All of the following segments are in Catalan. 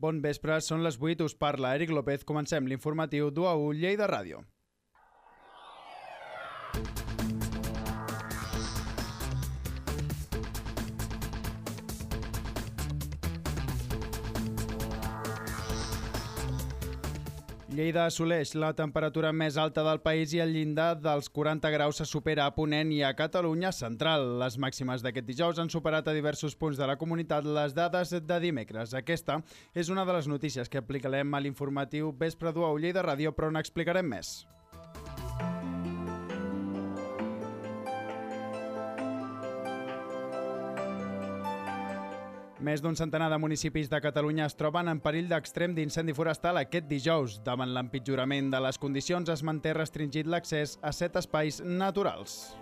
Bon vespre, són les 8, us parla Eric López. Comencem l'informatiu d'1 Lleida Ràdio. Lleida assoleix la temperatura més alta del país i el llindar dels 40 graus se supera a Ponent i a Catalunya central. Les màximes d'aquest dijous han superat a diversos punts de la comunitat les dades de dimecres. Aquesta és una de les notícies que aplicarem a l'informatiu Vespre d'1 Lleida Ràdio, però n'explicarem més. Més d'un centenar de municipis de Catalunya es troben en perill d'extrem d'incendi forestal aquest dijous. Davant l'empitjorament de les condicions es manté restringit l'accés a 7 espais naturals.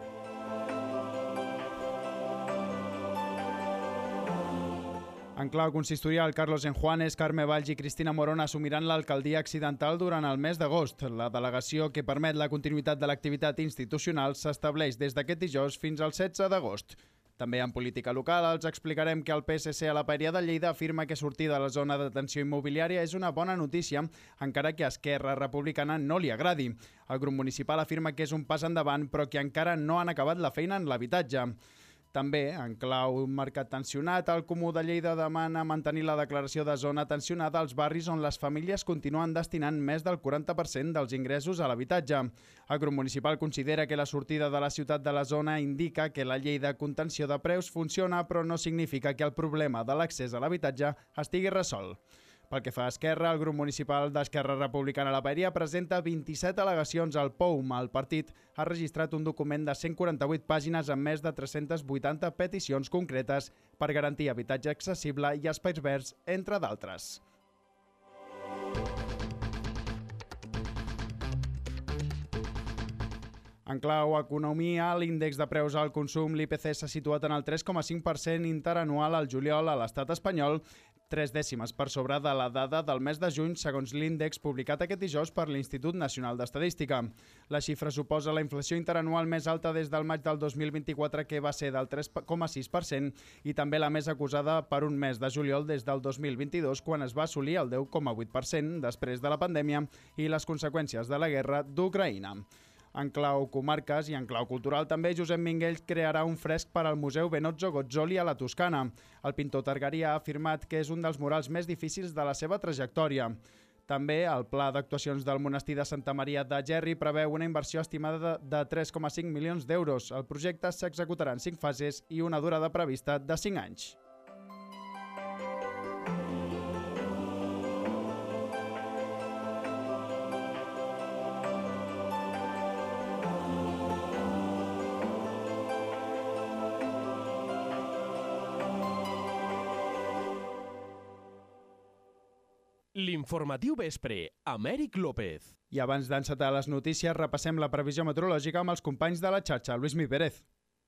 En clau consistorial, Carlos Enjuanes, Carme Valls i Cristina Morón assumiran l'alcaldia accidental durant el mes d'agost. La delegació que permet la continuïtat de l'activitat institucional s'estableix des d'aquest dijous fins al 16 d'agost. També en política local els explicarem que el PSC a la Paeria de Lleida afirma que sortir de la zona de tensió immobiliària és una bona notícia, encara que a Esquerra Republicana no li agradi. El grup municipal afirma que és un pas endavant, però que encara no han acabat la feina en l'habitatge. També, en clau mercat tensionat, el Comú de Lleida demana mantenir la declaració de zona tensionada als barris on les famílies continuen destinant més del 40% dels ingressos a l'habitatge. El grup municipal considera que la sortida de la ciutat de la zona indica que la llei de contenció de preus funciona, però no significa que el problema de l'accés a l'habitatge estigui resolt. Pel que fa a Esquerra, el grup municipal d'Esquerra Republicana a la Paeria presenta 27 al·legacions al POUM. El partit ha registrat un document de 148 pàgines amb més de 380 peticions concretes per garantir habitatge accessible i espais verds, entre d'altres. En clau economia, l'índex de preus al consum, l'IPC, s'ha situat en el 3,5% interanual al juliol a l'estat espanyol, 3 dècimes per sobre de la dada del mes de juny, segons l'índex publicat aquest dijous per l'Institut Nacional d'Estadística. La xifra suposa la inflació interanual més alta des del maig del 2024, que va ser del 3,6%, i també la més acusada per un mes de juliol des del 2022, quan es va assolir el 10,8% després de la pandèmia i les conseqüències de la guerra d'Ucraïna. En clau comarques i en clau cultural també, Josep Minguell crearà un fresc per al Museu Benozzo Gozzoli a la Toscana. El pintor targarí ha afirmat que és un dels murals més difícils de la seva trajectòria. També el pla d'actuacions del monestir de Santa Maria de Gerri preveu una inversió estimada de 3,5 milions d'euros. El projecte s'executarà en 5 fases i una durada prevista de 5 anys. L'informatiu vespre, amb Eric López. I abans d'encetar les notícies, repassem la previsió meteorològica amb els companys de la xarxa. Lluís Mi Pérez.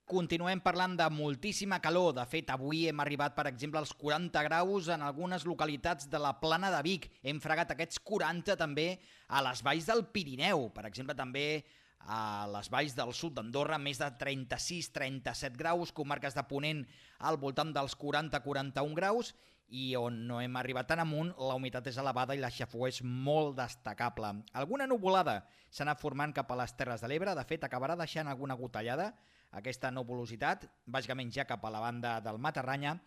Continuem parlant de moltíssima calor. De fet, avui hem arribat, per exemple, als 40 graus en algunes localitats de la Plana de Vic. Hem fregat aquests 40 també a les valls del Pirineu. Per exemple, també a les valls del sud d'Andorra, més de 36-37 graus, comarques de Ponent al voltant dels 40-41 graus, i on no hem arribat tan amunt, la humitat és elevada i la xafogor és molt destacable. Alguna nuvolada s'ha anat formant cap a les Terres de l'Ebre, de fet acabarà deixant alguna gotellada aquesta nuvolositat, bàsicament ja cap a la banda del Matarranya,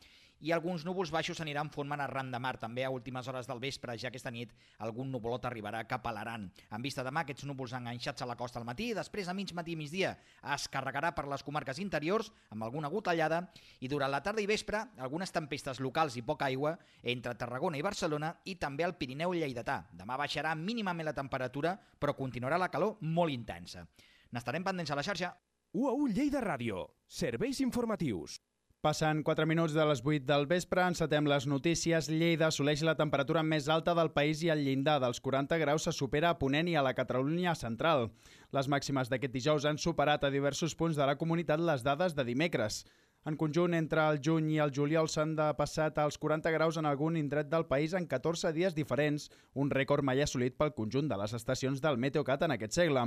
i alguns núvols baixos s'aniran formant arran de mar. També a últimes hores del vespre, ja aquesta nit, algun nuvolot arribarà cap a l'Aran. En vista demà, aquests núvols enganxats a la costa al matí, després a mig matí i migdia es carregarà per les comarques interiors amb alguna gotellada, i durant la tarda i vespre algunes tempestes locals i poca aigua entre Tarragona i Barcelona i també al Pirineu lleidatà. Demà baixarà mínimament la temperatura, però continuarà la calor molt intensa. N'estarem pendents a la xarxa. 1 Lleida Ràdio. Serveis informatius. Passant 4 minuts de les 8 del vespre, encetem les notícies. Lleida assoleix la temperatura més alta del país i el llindar dels 40 graus se supera a Ponent i a la Catalunya central. Les màximes d'aquest dijous han superat a diversos punts de la comunitat les dades de dimecres. En conjunt, entre el juny i el juliol s'han passat als 40 graus en algun indret del país en 14 dies diferents, un rècord mai assolit pel conjunt de les estacions del Meteocat en aquest segle.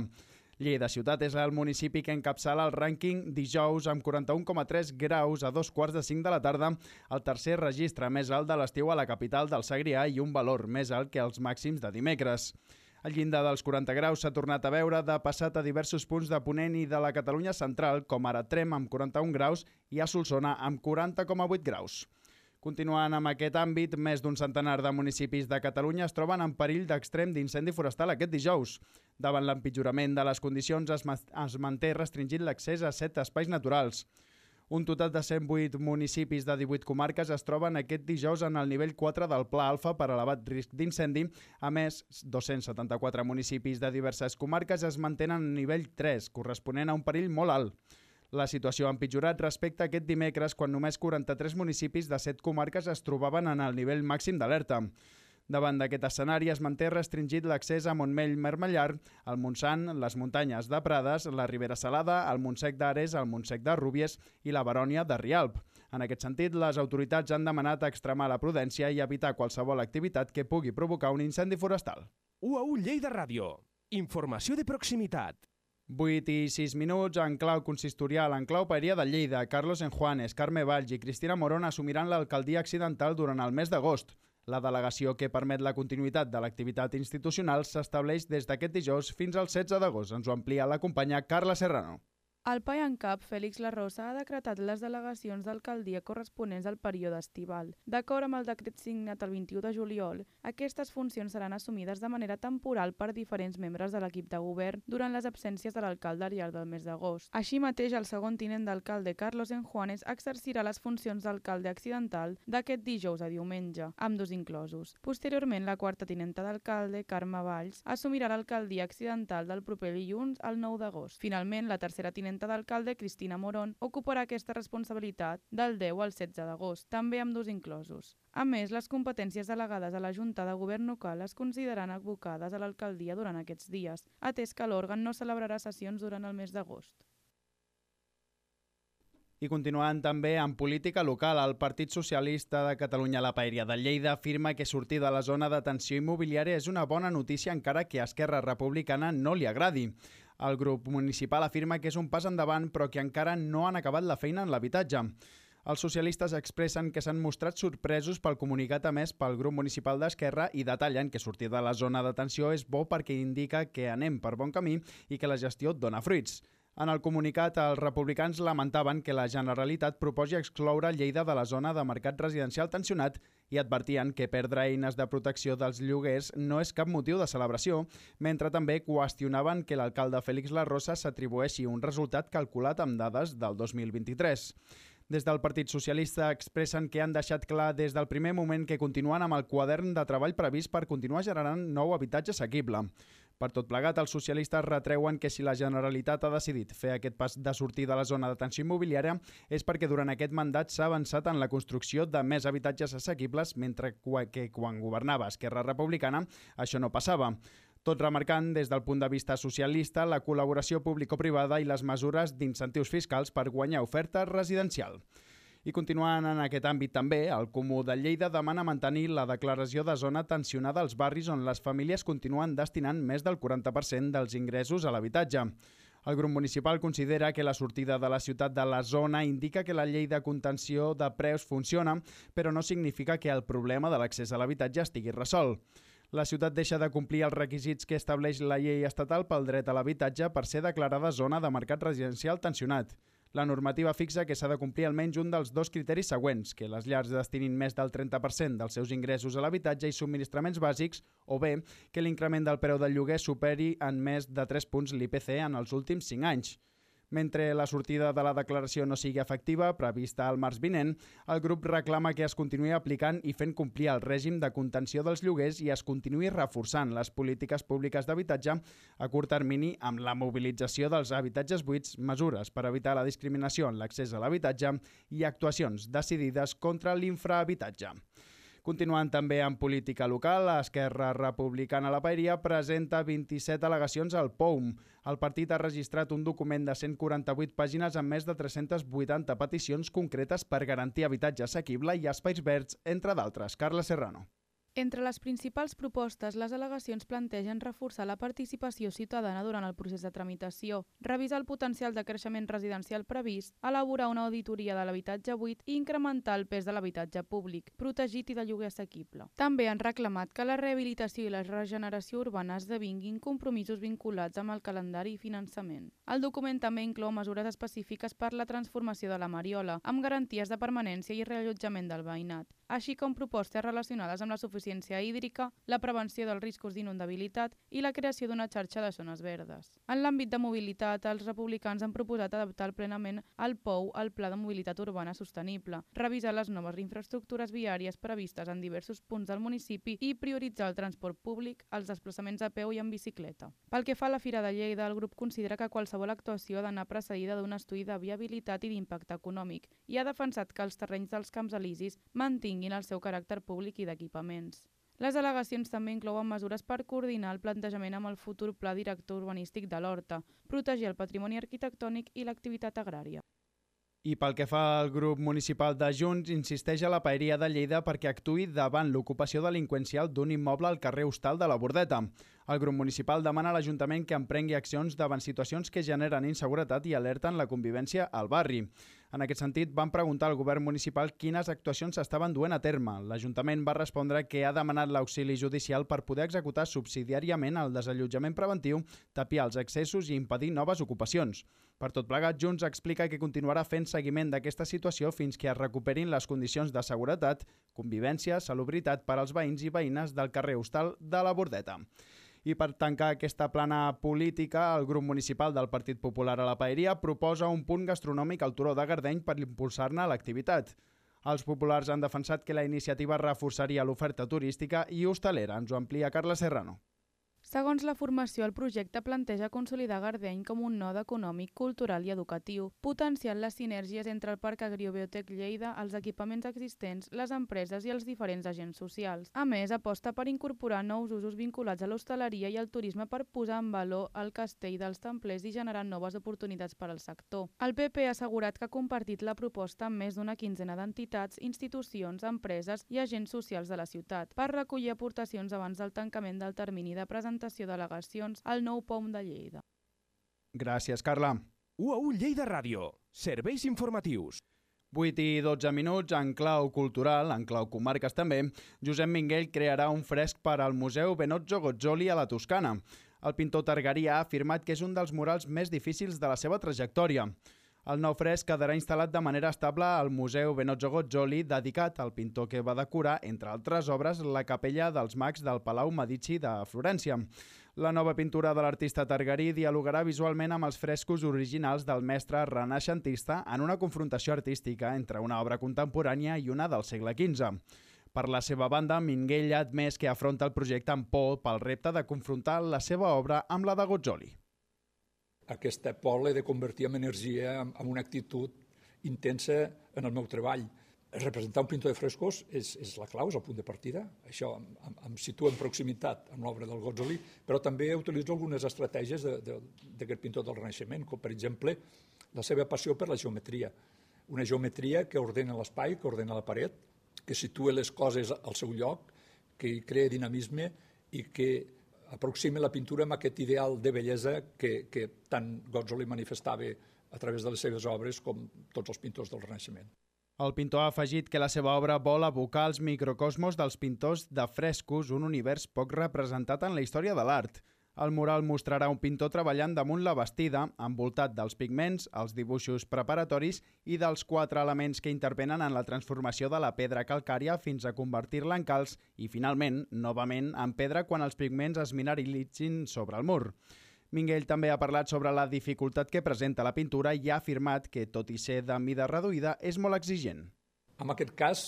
Lleida Ciutat és el municipi que encapçala el rànquing dijous amb 41,3 graus a 2:45 de la tarda, el tercer registre més alt de l'estiu a la capital del Segrià i un valor més alt que els màxims de dimecres. El llindar dels 40 graus s'ha tornat a veure de passat a diversos punts de Ponent i de la Catalunya central, com ara Trem amb 41 graus i a Solsona amb 40,8 graus. Continuant amb aquest àmbit, més d'un centenar de municipis de Catalunya es troben en perill d'extrem d'incendi forestal aquest dijous. Davant l'empitjorament de les condicions es manté restringit l'accés a 7 espais naturals. Un total de 108 municipis de 18 comarques es troben aquest dijous en el nivell 4 del Pla Alfa per elevat risc d'incendi. A més, 274 municipis de diverses comarques es mantenen en nivell 3, corresponent a un perill molt alt. La situació ha empitjorat respecte a aquest dimecres, quan només 43 municipis de 7 comarques es trobaven en el nivell màxim d'alerta. Davant d'aquest escenari es manté restringit l'accés a Montmell-Mermellar, el Montsant, les muntanyes de Prades, la Ribera Salada, el Montsec d'Ares, el Montsec de Rúbies i la Barònia de Rialp. En aquest sentit, les autoritats han demanat extremar la prudència i evitar qualsevol activitat que pugui provocar un incendi forestal. UAU Lleida Ràdio. Informació de proximitat. 8 i 6 minuts, en clau consistorial, en clau paeria de Lleida, Carlos Enjuanes, Carme Valls i Cristina Morón assumiran l'alcaldia accidental durant el mes d'agost. La delegació que permet la continuïtat de l'activitat institucional s'estableix des d'aquest dijous fins al 16 d'agost. Ens ho amplia la companya Carla Serrano. El pai en cap, Félix Larrosa, ha decretat les delegacions d'alcaldia corresponents al període estival. D'acord amb el decret signat el 21 de juliol, aquestes funcions seran assumides de manera temporal per diferents membres de l'equip de govern durant les absències de l'alcalde al llarg del mes d'agost. Així mateix, el segon tinent d'alcalde, Carlos Enjuanes, exercirà les funcions d'alcalde accidental d'aquest dijous a diumenge, amb dos inclosos. Posteriorment, la quarta tinenta d'alcalde, Carme Valls, assumirà l'alcaldia accidental del proper dilluns al 9 d'agost. Finalment, la tercera tinenta d'alcalde, Cristina Morón, ocuparà aquesta responsabilitat del 10 al 16 d'agost, també amb dos inclosos. A més, les competències delegades a la Junta de Govern local es consideraran abocades a l'alcaldia durant aquests dies, atès que l'òrgan no celebrarà sessions durant el mes d'agost. I continuant també en política local, el Partit Socialista de Catalunya a la Paeria de Lleida afirma que sortir de la zona d'atenció immobiliària és una bona notícia encara que a Esquerra Republicana no li agradi. El grup municipal afirma que és un pas endavant però que encara no han acabat la feina en l'habitatge. Els socialistes expressen que s'han mostrat sorpresos pel comunicat emès pel grup municipal d'Esquerra i detallen que sortir de la zona d'atenció és bo perquè indica que anem per bon camí i que la gestió dona fruits. En el comunicat, els republicans lamentaven que la Generalitat proposi excloure Lleida de la zona de mercat residencial tensionat i advertien que perdre eines de protecció dels lloguers no és cap motiu de celebració, mentre també qüestionaven que l'alcalde Félix Larrosa s'atribueixi un resultat calculat amb dades del 2023. Des del Partit Socialista expressen que han deixat clar des del primer moment que continuen amb el quadern de treball previst per continuar generant nou habitatge assequible. Per tot plegat, els socialistes retreuen que si la Generalitat ha decidit fer aquest pas de sortir de la zona d'atenció immobiliària és perquè durant aquest mandat s'ha avançat en la construcció de més habitatges assequibles, mentre que quan governava Esquerra Republicana això no passava. Tot remarcant, des del punt de vista socialista, la col·laboració público-privada i les mesures d'incentius fiscals per guanyar oferta residencial. I continuant en aquest àmbit també, el Comú de Lleida demana mantenir la declaració de zona tensionada als barris on les famílies continuen destinant més del 40% dels ingressos a l'habitatge. El grup municipal considera que la sortida de la ciutat de la zona indica que la llei de contenció de preus funciona, però no significa que el problema de l'accés a l'habitatge estigui resolt. La ciutat deixa de complir els requisits que estableix la llei estatal pel dret a l'habitatge per ser declarada zona de mercat residencial tensionat. La normativa fixa que s'ha de complir almenys un dels dos criteris següents, que les llars destinin més del 30% dels seus ingressos a l'habitatge i subministraments bàsics, o bé que l'increment del preu del lloguer superi en més de 3 punts l'IPC en els últims 5 anys. Mentre la sortida de la declaració no sigui efectiva, prevista al març vinent, el grup reclama que es continuï aplicant i fent complir el règim de contenció dels lloguers i es continuï reforçant les polítiques públiques d'habitatge a curt termini amb la mobilització dels habitatges buits, mesures per evitar la discriminació en l'accés a l'habitatge i actuacions decidides contra l'infrahabitatge. Continuant també en política local, Esquerra Republicana a la Paeria presenta 27 al·legacions al POUM. El partit ha registrat un document de 148 pàgines amb més de 380 peticions concretes per garantir habitatge assequible i espais verds, entre d'altres. Carla Serrano. Entre les principals propostes, les al·legacions plantegen reforçar la participació ciutadana durant el procés de tramitació, revisar el potencial de creixement residencial previst, elaborar una auditoria de l'habitatge buit i incrementar el pes de l'habitatge públic, protegit i de lloguer assequible. També han reclamat que la rehabilitació i la regeneració urbana esdevinguin compromisos vinculats amb el calendari i finançament. El document també inclou mesures específiques per la transformació de la Mariola, amb garanties de permanència i reallotjament del veïnat, així com propostes relacionades amb la suficiència hídrica, la prevenció dels riscos d'inundabilitat i la creació d'una xarxa de zones verdes. En l'àmbit de mobilitat, els republicans han proposat adaptar plenament el POU al Pla de Mobilitat Urbana Sostenible, revisar les noves infraestructures viàries previstes en diversos punts del municipi i prioritzar el transport públic, els desplaçaments a peu i en bicicleta. Pel que fa a la Fira de Lleida, el grup considera que qualsevol actuació ha d'anar precedida d'un estudi de viabilitat i d'impacte econòmic i ha defensat que els terrenys dels Camps Elisis mantinguin el seu caràcter públic i d'equipaments. Les al·legacions també inclouen mesures per coordinar el plantejament amb el futur Pla Director Urbanístic de l'Horta, protegir el patrimoni arquitectònic i l'activitat agrària. I pel que fa al grup municipal de Junts, insisteix a la Paeria de Lleida perquè actuï davant l'ocupació delinqüencial d'un immoble al carrer Hostal de la Bordeta. El grup municipal demana a l'Ajuntament que emprengui accions davant situacions que generen inseguretat i alerten la convivència al barri. En aquest sentit, van preguntar al govern municipal quines actuacions s'estaven duent a terme. L'Ajuntament va respondre que ha demanat l'auxili judicial per poder executar subsidiàriament el desallotjament preventiu, tapiar els accessos i impedir noves ocupacions. Per tot plegat, Junts explica que continuarà fent seguiment d'aquesta situació fins que es recuperin les condicions de seguretat, convivència, salubritat per als veïns i veïnes del carrer Hostal de la Bordeta. I per tancar aquesta plana política, el grup municipal del Partit Popular a la Paeria proposa un punt gastronòmic al Turó de Gardeny per impulsar-ne l'activitat. Els populars han defensat que la iniciativa reforçaria l'oferta turística i hostalera. Ens ho amplia Carla Serrano. Segons la formació, el projecte planteja consolidar Gardeny com un node econòmic, cultural i educatiu, potenciant les sinergies entre el Parc Agriobiotec Lleida, els equipaments existents, les empreses i els diferents agents socials. A més, aposta per incorporar nous usos vinculats a l'hostaleria i al turisme per posar en valor el castell dels Templers i generar noves oportunitats per al sector. El PP ha assegurat que ha compartit la proposta amb més d'una quinzena d'entitats, institucions, empreses i agents socials de la ciutat per recollir aportacions abans del tancament del termini de presentació d'al·legacions al nou POM de Lleida. Gràcies, Carla. UAU Lleida Ràdio. Serveis informatius. 8 i 12 minuts, en clau cultural, en clau comarques també, Josep Minguell crearà un fresc per al Museu Benozzo Gozzoli a la Toscana. El pintor targarí ha afirmat que és un dels murals més difícils de la seva trajectòria. El nou fresc quedarà instal·lat de manera estable al Museu Benozzo Gozzoli, dedicat al pintor que va decorar, entre altres obres, la capella dels Mags del Palau Medici de Florència. La nova pintura de l'artista targarí dialogarà visualment amb els frescos originals del mestre renaixentista en una confrontació artística entre una obra contemporània i una del segle XV. Per la seva banda, Minguell ha admès que afronta el projecte amb por pel repte de confrontar la seva obra amb la de Gozzoli. Aquesta por l'he de convertir en energia, en una actitud intensa en el meu treball. Representar un pintor de frescos és la clau, és el punt de partida. Això em situa en proximitat amb l'obra del Gozzoli, però també utilitzo algunes estratègies d'aquest pintor del Renaixement, com per exemple la seva passió per la geometria. Una geometria que ordena l'espai, que ordena la paret, que situa les coses al seu lloc, que crea dinamisme i que aproxima la pintura amb aquest ideal de bellesa que tant Gozzoli manifestava a través de les seves obres com tots els pintors del Renaixement. El pintor ha afegit que la seva obra vol evocar els microcosmos dels pintors de frescos, un univers poc representat en la història de l'art. El mural mostrarà un pintor treballant damunt la bastida, envoltat dels pigments, els dibuixos preparatoris i dels 4 elements que intervenen en la transformació de la pedra calcària fins a convertir-la en calç i, finalment, novament en pedra quan els pigments es mineralitzin sobre el mur. Minguell també ha parlat sobre la dificultat que presenta la pintura i ha afirmat que, tot i ser de mida reduïda, és molt exigent. En aquest cas,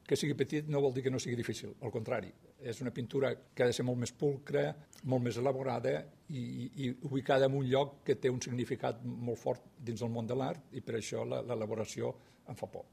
que sigui petit no vol dir que no sigui difícil, al contrari. És una pintura que ha de ser molt més pulcra, molt més elaborada i ubicada en un lloc que té un significat molt fort dins del món de l'art i per això l'elaboració em fa por.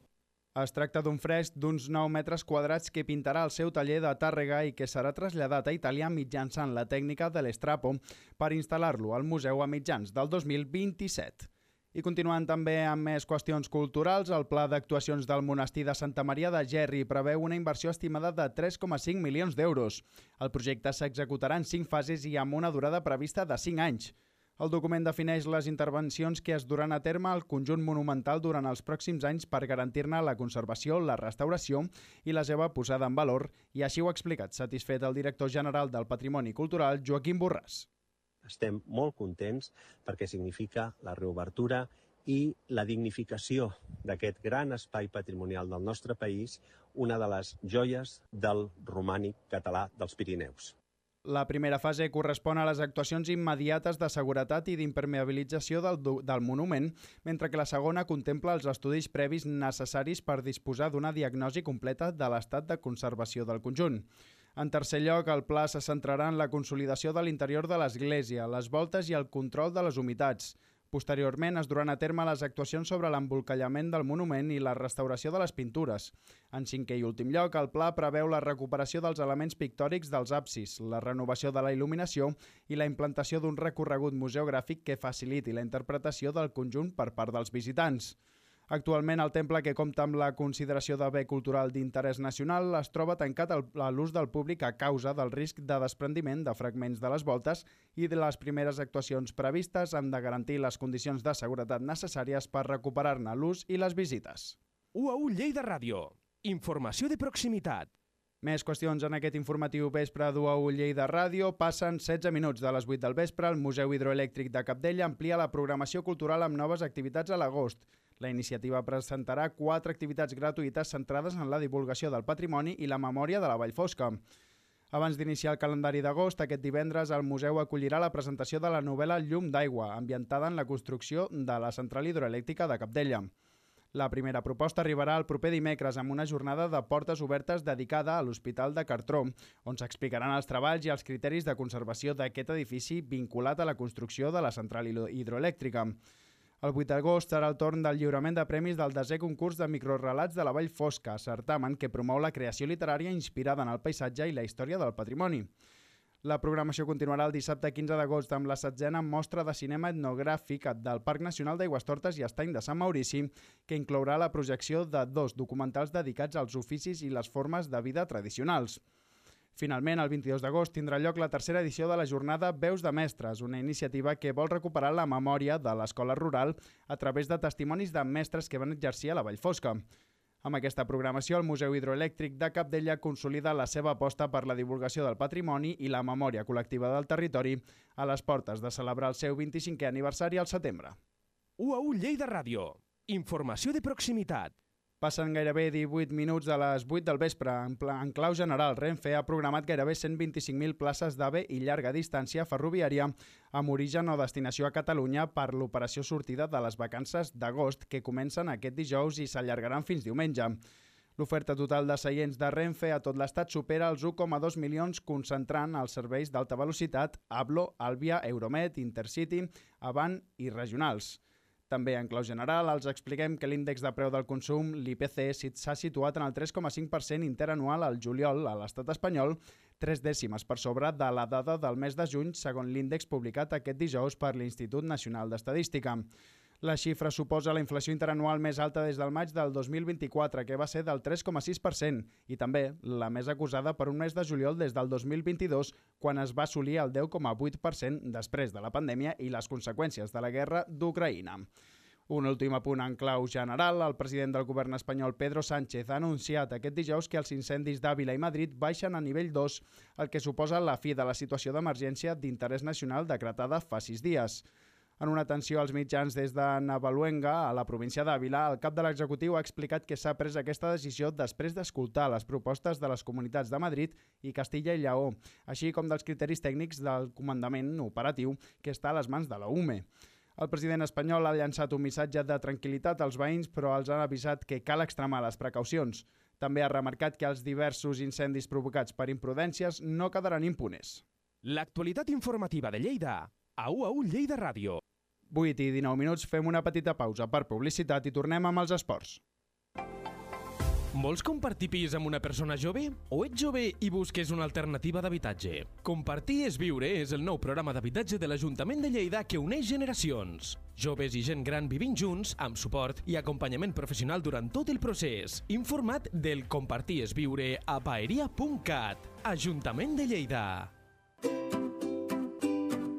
Es tracta d'un fresc d'uns 9 metres quadrats que pintarà al seu taller de Tàrrega i que serà traslladat a Itàlia mitjançant la tècnica de l'estrapo per instal·lar-lo al museu a mitjans del 2027. I continuant també amb més qüestions culturals, el pla d'actuacions del monestir de Santa Maria de Gerri preveu una inversió estimada de 3,5 milions d'euros. El projecte s'executarà en 5 fases i amb una durada prevista de 5 anys. El document defineix les intervencions que es duran a terme al conjunt monumental durant els pròxims anys per garantir-ne la conservació, la restauració i la seva posada en valor, i així ho ha explicat satisfet el director general del Patrimoni Cultural, Joaquim Borràs. Estem molt contents perquè significa la reobertura i la dignificació d'aquest gran espai patrimonial del nostre país, una de les joies del romànic català dels Pirineus. La primera fase correspon a les actuacions immediates de seguretat i d'impermeabilització del monument, mentre que la segona contempla els estudis previs necessaris per disposar d'una diagnosi completa de l'estat de conservació del conjunt. En tercer lloc, el pla se centrarà en la consolidació de l'interior de l'església, les voltes i el control de les humitats. Posteriorment es duran a terme les actuacions sobre l'embolcallament del monument i la restauració de les pintures. En cinquè i últim lloc, el pla preveu la recuperació dels elements pictòrics dels absis, la renovació de la il·luminació i la implantació d'un recorregut museogràfic que faciliti la interpretació del conjunt per part dels visitants. Actualment, el temple, que compta amb la consideració de bé cultural d'interès nacional, es troba tancat a l'ús del públic a causa del risc de desprendiment de fragments de les voltes, i de les primeres actuacions previstes han de garantir les condicions de seguretat necessàries per recuperar-ne l'ús i les visites. UAU Lleida Ràdio. Informació de proximitat. Més qüestions en aquest informatiu vespre d'UAU Lleida Ràdio. Passen 16 minuts de les 8 del vespre. El Museu Hidroelèctric de Capdella amplia la programació cultural amb noves activitats a l'agost. La iniciativa presentarà 4 activitats gratuïtes centrades en la divulgació del patrimoni i la memòria de la Vall Fosca. Abans d'iniciar el calendari d'agost, aquest divendres el museu acollirà la presentació de la novel·la Llum d'aigua, ambientada en la construcció de la central hidroelèctrica de Capdella. La primera proposta arribarà el proper dimecres amb una jornada de portes obertes dedicada a l'Hospital de Cartró, on s'explicaran els treballs i els criteris de conservació d'aquest edifici vinculat a la construcció de la central hidroelèctrica. El 8 d'agost serà el torn del lliurament de premis del 10è concurs de microrelats de la Vall Fosca, certamen que promou la creació literària inspirada en el paisatge i la història del patrimoni. La programació continuarà el dissabte 15 d'agost amb la 7a mostra de cinema etnogràfic del Parc Nacional d'Aigüestortes i Estany de Sant Maurici, que inclourà la projecció de 2 documentals dedicats als oficis i les formes de vida tradicionals. Finalment, el 22 d'agost tindrà lloc la 3a edició de la jornada Veus de Mestres, una iniciativa que vol recuperar la memòria de l'escola rural a través de testimonis de mestres que van exercir a la Vall Fosca. Amb aquesta programació, el Museu Hidroelèctric de Capdella consolida la seva aposta per la divulgació del patrimoni i la memòria col·lectiva del territori a les portes de celebrar el seu 25è aniversari al setembre. UAU Lleida Ràdio. Informació de proximitat. Passen gairebé 18 minuts de les 8 del vespre. En clau general, Renfe ha programat gairebé 125.000 places d'AVE i llarga distància ferroviària amb origen o destinació a Catalunya per l'operació sortida de les vacances d'agost que comencen aquest dijous i s'allargaran fins diumenge. L'oferta total de seients de Renfe a tot l'estat supera els 1,2 milions, concentrant els serveis d'alta velocitat Ablo, Àlvia, Euromed, Intercity, Avant i regionals. També en clau general els expliquem que l'índex de preu del consum, l'IPC, s'ha situat en el 3,5% interanual al juliol a l'estat espanyol, 3 dècimes per sobre de la dada del mes de juny, segons l'índex publicat aquest dijous per l'Institut Nacional d'Estadística. La xifra suposa la inflació interanual més alta des del maig del 2024, que va ser del 3,6%, i també la més acusada per un mes de juliol des del 2022, quan es va assolir el 10,8% després de la pandèmia i les conseqüències de la guerra d'Ucraïna. Un últim apunt en clau general, el president del govern espanyol Pedro Sánchez ha anunciat aquest dijous que els incendis d'Àvila i Madrid baixen a nivell 2, el que suposa la fi de la situació d'emergència d'interès nacional decretada fa 6 dies. En una atenció als mitjans des de Navaluenga, a la província d'Àvila, el cap de l'executiu ha explicat que s'ha pres aquesta decisió després d'escoltar les propostes de les comunitats de Madrid i Castilla i Lleó, així com dels criteris tècnics del comandament operatiu que està a les mans de la UME. El president espanyol ha llançat un missatge de tranquil·litat als veïns, però els ha avisat que cal extremar les precaucions. També ha remarcat que els diversos incendis provocats per imprudències no quedaran impunes. L'actualitat informativa de Lleida a UAU Lleida Ràdio. 8 i 19 minuts, fem una petita pausa per publicitat i tornem amb els esports. Vols compartir pis amb una persona jove? O ets jove i busques una alternativa d'habitatge? Compartir és viure és el nou programa d'habitatge de l'Ajuntament de Lleida que uneix generacions. Joves i gent gran vivint junts, amb suport i acompanyament professional durant tot el procés. Informa't del Compartir és viure a paeria.cat. Ajuntament de Lleida.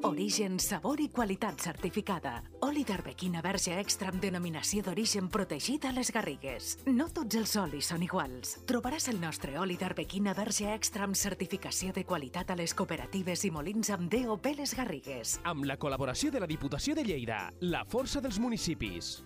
Origen, sabor i qualitat certificada. Oli d'Arbequina Verge Extra amb denominació d'origen protegida a les Garrigues. No tots els olis són iguals. Trobaràs el nostre oli d'Arbequina Verge Extra amb certificació de qualitat a les cooperatives i molins amb DOP Les Garrigues. Amb la col·laboració de la Diputació de Lleida, la força dels municipis.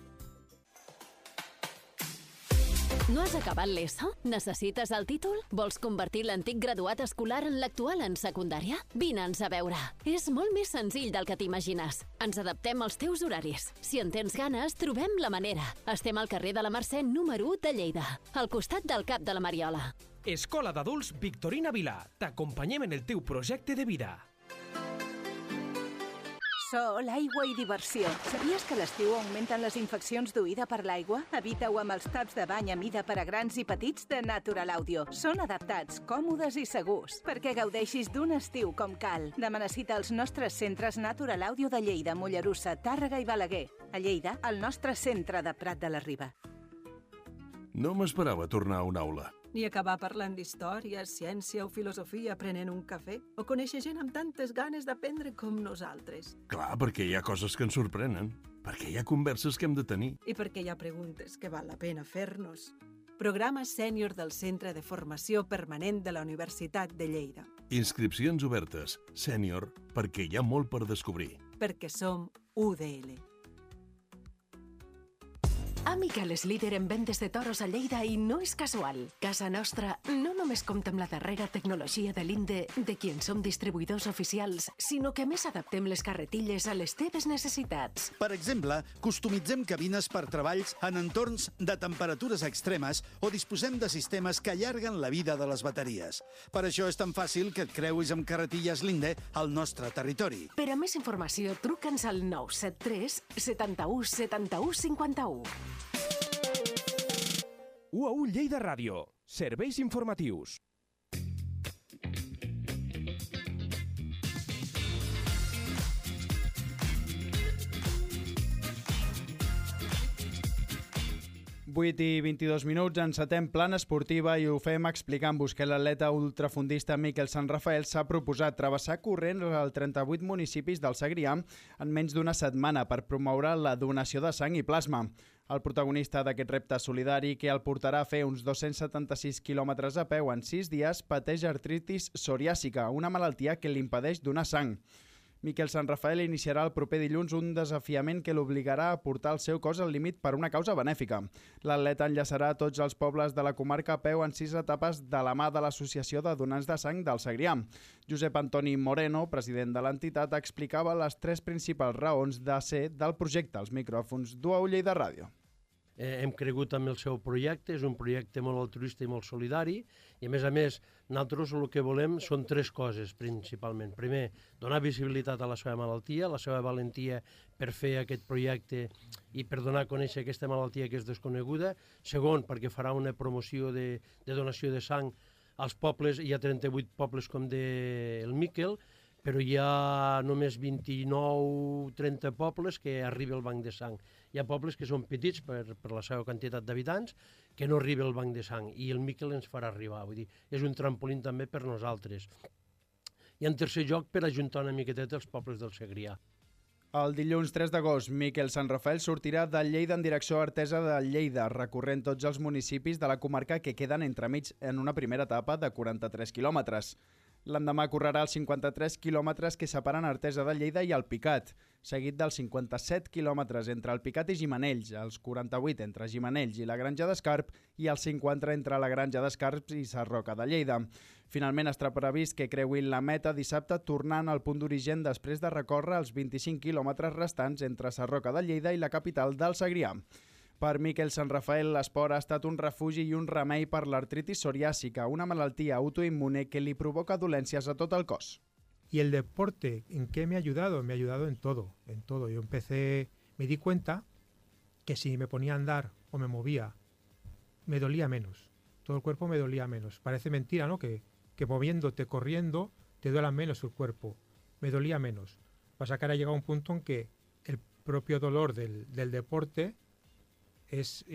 No has acabat l'ESO? Necessites el títol? Vols convertir l'antic graduat escolar en l'actual en secundària? Vine'ns a veure. És molt més senzill del que t'imagines. Ens adaptem als teus horaris. Si en tens ganes, trobem la manera. Estem al carrer de la Mercè número 1 de Lleida, al costat del Cap de la Mariola. Escola d'Adults Victorina Vilà. T'acompanyem en el teu projecte de vida. Sol, aigua i diversió. Sabies que a l'estiu augmenten les infeccions d'oïda per l'aigua? Evita-ho amb els taps de bany a mida per a grans i petits de Natural Audio. Són adaptats, còmodes i segurs, perquè gaudeixis d'un estiu com cal. Demana cita als nostres centres Natural Audio de Lleida, Mollerussa, Tàrrega i Balaguer. A Lleida, el nostre centre de Prat de la Riba. No m'esperava tornar a una aula. Ni acabar parlant d'història, ciència o filosofia prenent un cafè, o conèixer gent amb tantes ganes d'aprendre com nosaltres. Clar, perquè hi ha coses que ens sorprenen, perquè hi ha converses que hem de tenir. I perquè hi ha preguntes que val la pena fer-nos. Programa sènior del Centre de Formació Permanent de la Universitat de Lleida. Inscripcions obertes, sènior, perquè hi ha molt per descobrir. Perquè som UDL. Amical és líder en vendes de toros a Lleida i no és casual. Casa Nostra no només compta amb la darrera tecnologia de l'INDE, de qui en som distribuïdors oficials, sinó que a més adaptem les carretilles a les teves necessitats. Per exemple, customitzem cabines per treballs en entorns de temperatures extremes o disposem de sistemes que allarguen la vida de les bateries. Per això és tan fàcil que et creuis amb carretilles l'INDE al nostre territori. Per a més informació, truca'ns al 973 71 71 51. UAU Lleida Ràdio. Serveis informatius. Vuit i 22 minuts, encetem plana esportiva i ho fem explicant-vos que l'atleta ultrafondista Miquel Sant Rafael s'ha proposat travessar corrents als 38 municipis del Segrià en menys d'una setmana per promoure la donació de sang i plasma. El protagonista d'aquest repte solidari, que el portarà a fer uns 276 quilòmetres a peu en 6 dies, pateix artritis psoriàsica, una malaltia que li impedeix donar sang. Miquel Sant Rafael iniciarà el proper dilluns un desafiament que l'obligarà a portar el seu cos al límit per una causa benèfica. L'atleta enllaçarà tots els pobles de la comarca a peu en 6 etapes de la mà de l'Associació de Donants de Sang del Segrià. Josep Antoni Moreno, president de l'entitat, explicava les 3 principals raons de ser del projecte als micròfons d'UAU Lleida Ràdio. Hem cregut en el seu projecte, és un projecte molt altruista i molt solidari i a més nosaltres el que volem són 3 coses principalment. Primer, donar visibilitat a la seva malaltia, la seva valentia per fer aquest projecte i per donar a conèixer aquesta malaltia que és desconeguda. Segon, perquè farà una promoció de donació de sang als pobles, hi ha 38 pobles com el Miquel, però hi ha només 29-30 pobles que arriba al banc de sang. Hi ha pobles que són petits per la seva quantitat d'habitants que no arriba al banc de sang i el Miquel ens farà arribar. Vull dir, és un trampolín també per nosaltres. I en tercer lloc, per ajuntar una miqueteta els pobles del Segrià. El dilluns 3 d'agost, Miquel Sant Rafael sortirà de Lleida en direcció a Artesa de Lleida, recorrent tots els municipis de la comarca que queden entremig en una primera etapa de 43 quilòmetres. L'endemà correrà els 53 quilòmetres que separen Artesa de Lleida i Alpicat, seguit dels 57 quilòmetres entre Alpicat i Gimenells, els 48 entre Gimenells i la Granja d'Escarp i els 50 entre la Granja d'Escarp i Sarroca de Lleida. Finalment està previst que creuin la meta dissabte tornant al punt d'origen després de recórrer els 25 quilòmetres restants entre Sarroca de Lleida i la capital del Segrià. Per Miquel Sant Rafael, l'esport ha estat un refugi i un remei per l'artritis psoriàsica, una malaltia autoimmune que li provoca dolències a tot el cos. Y el deporte, ¿en qué me ha ayudado? Me ha ayudado en todo, en todo. Yo me di cuenta que si me ponía a andar o me movía, me dolía menos. todo el cuerpo me dolía menos. Parece mentira, ¿no? Que moviéndote, corriendo, te duela menos el cuerpo. Me dolía menos. Pasa que ahora llega un punto en que el propio dolor del deporte es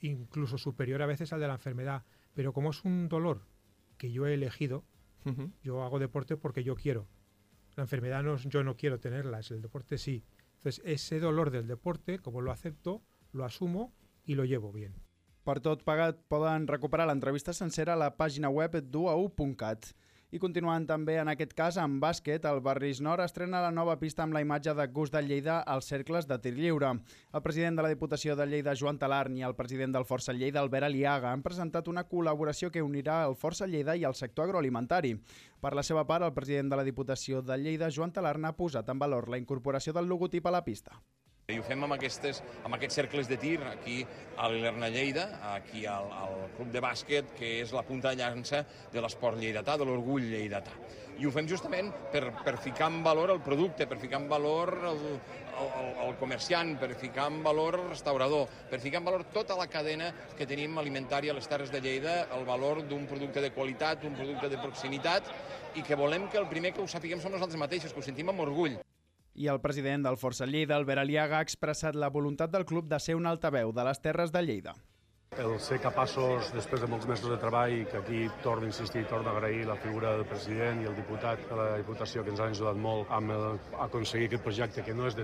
incluso superior a veces al de la enfermedad. Pero como es un dolor que yo he elegido, yo hago deporte porque yo quiero. La enfermedad yo no quiero tenerla, el deporte sí. Entonces ese dolor del deporte, como lo acepto, lo asumo i lo llevo bien. Per tot plegat, poden recuperar l'entrevista sencera a la pàgina web duau.cat. I continuant també en aquest cas amb bàsquet, el Barris Nord estrena la nova pista amb la imatge de Gus de Lleida als cercles de tir lliure. El president de la Diputació de Lleida, Joan Talarn, i el president del Força Lleida, Albert Aliaga, han presentat una col·laboració que unirà el Força Lleida i el sector agroalimentari. Per la seva part, el president de la Diputació de Lleida, Joan Talarn, ha posat en valor la incorporació del logotip a la pista. I ho fem amb aquests cercles de tir aquí a l'Ilerna Lleida, aquí al club de bàsquet, que és la punta de llança de l'esport lleidatà, de l'orgull lleidatà. I ho fem justament per ficar en valor el producte, per ficar en valor el comerciant, per ficar en valor el restaurador, per ficar en valor tota la cadena que tenim alimentària a les Terres de Lleida, el valor d'un producte de qualitat, un producte de proximitat, i que volem que el primer que ho sapiguem som nosaltres mateixos, que ho sentim amb orgull. I el president del Força Lleida, Albert Aliaga, ha expressat la voluntat del club de ser un altaveu de les Terres de Lleida. El ser capaços, després de molts mesos de treball, que aquí torno a insistir, torno a agrair la figura del president i el diputat de la Diputació, que ens han ajudat molt a aconseguir aquest projecte, que no és de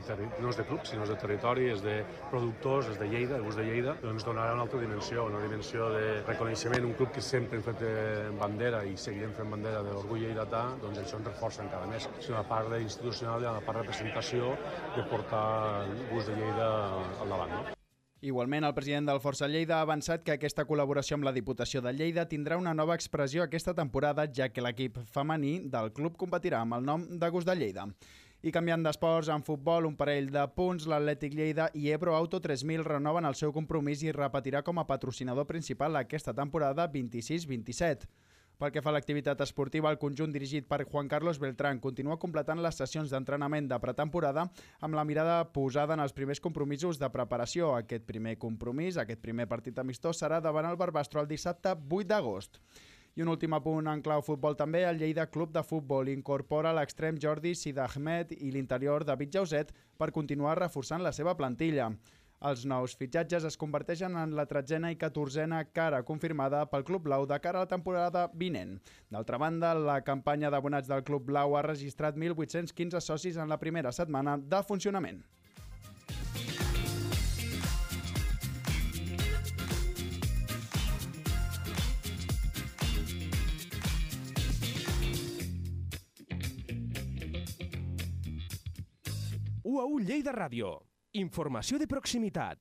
club, sinó és de territori, és de productors, és de Lleida, de gust de Lleida, doncs donarà una altra dimensió, una dimensió de reconeixement, un club que sempre hem fet bandera i seguirem fent bandera de l'orgull lleidatà, doncs això ens reforça encara més. És una part institucional i una part de representació de portar el gust de Lleida al davant, no? Igualment, el president del Força Lleida ha avançat que aquesta col·laboració amb la Diputació de Lleida tindrà una nova expressió aquesta temporada, ja que l'equip femení del club competirà amb el nom de Gust de Lleida. I canviant d'esports, en futbol, un parell de punts, l'Atlètic Lleida i Ebro Auto 3000 renoven el seu compromís i repetirà com a patrocinador principal aquesta temporada 26-27. Pel que fa a l'activitat esportiva, el conjunt dirigit per Juan Carlos Beltrán continua completant les sessions d'entrenament de pretemporada amb la mirada posada en els primers compromisos de preparació. Aquest primer compromís, aquest primer partit amistós, serà davant el Barbastro el dissabte 8 d'agost. I un últim apunt en clau futbol també, el Lleida Club de Futbol incorpora l'extrem Jordi Sidahmed i l'interior David Jauset per continuar reforçant la seva plantilla. Els nous fitxatges es converteixen en la 13a i 14a cara confirmada pel Club Blau de cara a la temporada vinent. D'altra banda, la campanya d'abonats del Club Blau ha registrat 1.815 socis en la primera setmana de funcionament. UAU Lleida Ràdio. Informació de proximitat.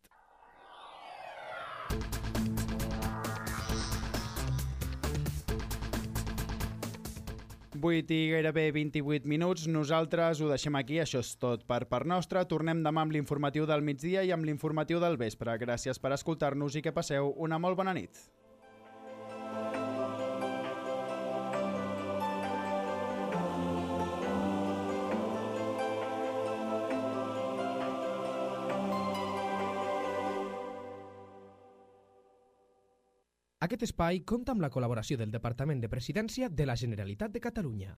I gairebé 28 minuts. Nosaltres ho deixem aquí. Això és tot per part nostra. Tornem demà amb l'informatiu del migdia i amb l'informatiu del vespre. Gràcies per escoltar-nos i que passeu una molt bona nit. Aquest espai compta amb la col·laboració del Departament de Presidència de la Generalitat de Catalunya.